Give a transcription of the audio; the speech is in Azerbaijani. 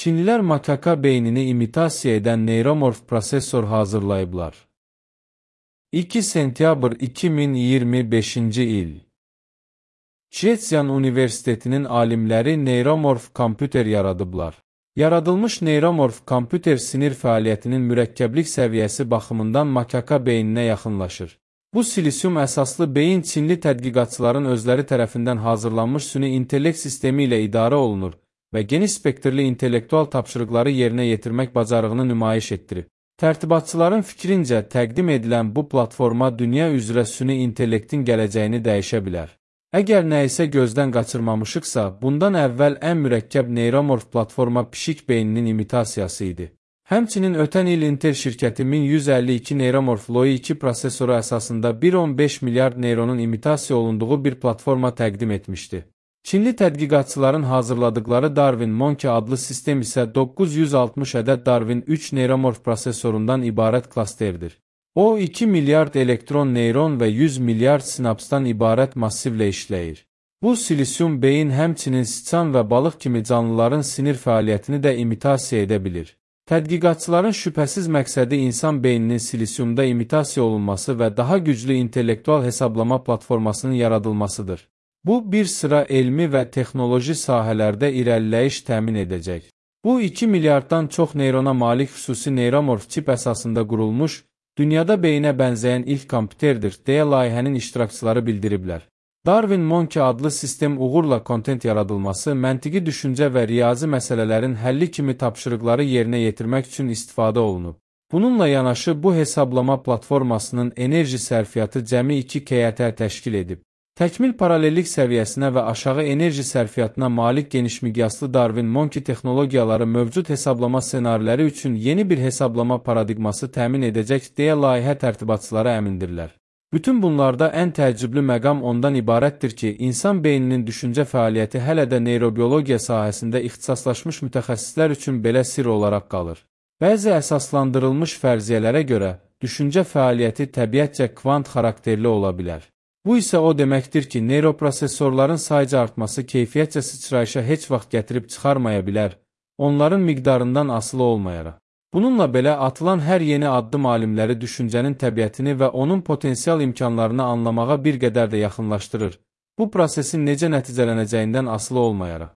Çinlilər makaka beynini imitasiya edən neyromorf prosesor hazırlayıblar. 2 sentyabr 2025-ci il. Şvetsiyan Universitetinin alimləri neyromorf kompüter yaradıblar. Yaradılmış neyromorf kompüter sinir fəaliyyətinin mürəkkəblik səviyyəsi baxımından makaka beyninə yaxınlaşır. Bu silisium əsaslı beyin Çinli tədqiqatçıların özləri tərəfindən hazırlanmış süni intellekt sistemi ilə idarə olunur və geniş spektrli intellektual tapşırıqları yerinə yetirmək bacarığını nümayiş etdirib. Tərtibatçıların fikrincə təqdim edilən bu platforma dünya üzrə süni intellektin gələcəyini dəyişə bilər. Əgər nə isə gözdən qaçırmamışıqsa, bundan əvvəl ən mürəkkəb neyromorf platforma pişik beyninin imitasiyası idi. Həmçinin ötən il Intel şirkəti 1152 neyromorf Loi 2 prosesoru əsasında 1,15 milyard neyronun imitasiya olunduğu bir platforma təqdim etmişdi. Çinli tədqiqatçıların hazırladıkları Darwin Monkey adlı sistem isə 960 ədəd Darwin 3 neyromorf prosesorundan ibarət klasterdir. O, 2 milyard elektron neyron və 100 milyard sinapsdan ibarət massivlə işləyir. Bu silisium beyin həmçinin siçan və balıq kimi canlıların sinir fəaliyyətini də imitasiya edə bilir. Tədqiqatçıların şübhəsiz məqsədi insan beyninin silisiumda imitasiya olunması və daha güclü intellektual hesablama platformasının yaradılmasıdır. Bu, bir sıra elmi və texnoloji sahələrdə irəliləyiş təmin edəcək. Bu, 2 milyarddan çox neyrona malik xüsusi neyromorf çip əsasında qurulmuş, dünyada beyinə bənzəyən ilk kompüterdir, deyə layihənin iştirakçıları bildiriblər. Darwin Monkey adlı sistem uğurla kontent yaradılması, məntiqi düşüncə və riyazi məsələlərin həlli kimi tapşırıqları yerinə yetirmək üçün istifadə olunub. Bununla yanaşı, bu hesablama platformasının enerji sərfiyyatı cəmi 2 KT təşkil edib. Təkmil paralellik səviyyəsinə və aşağı enerji sərfiyyatına malik genişmiqyaslı Darwin Monkey texnologiyaları mövcud hesablama ssenariləri üçün yeni bir hesablama paradigması təmin edəcək deyə layihə tərtibatçıları əmindirlər. Bütün bunlarda ən təəccüblü məqam ondan ibarətdir ki, insan beyninin düşüncə fəaliyyəti hələ də neyrobiologiya sahəsində ixtisaslaşmış mütəxəssislər üçün belə sirr olaraq qalır. Bəzi əsaslandırılmış fərziyyələrə görə, düşüncə fəaliyyəti təbiətcə kvant xarakterli ola bilər. Bu isə o deməkdir ki, neyroprosesorların sayca artması keyfiyyətcə sıçrayışa heç vaxt gətirib çıxarmaya bilər, onların miqdarından asılı olmayaraq. Bununla belə atılan hər yeni addım alimləri düşüncənin təbiətini və onun potensial imkanlarını anlamağa bir qədər də yaxınlaşdırır, bu prosesin necə nəticələnəcəyindən asılı olmayaraq.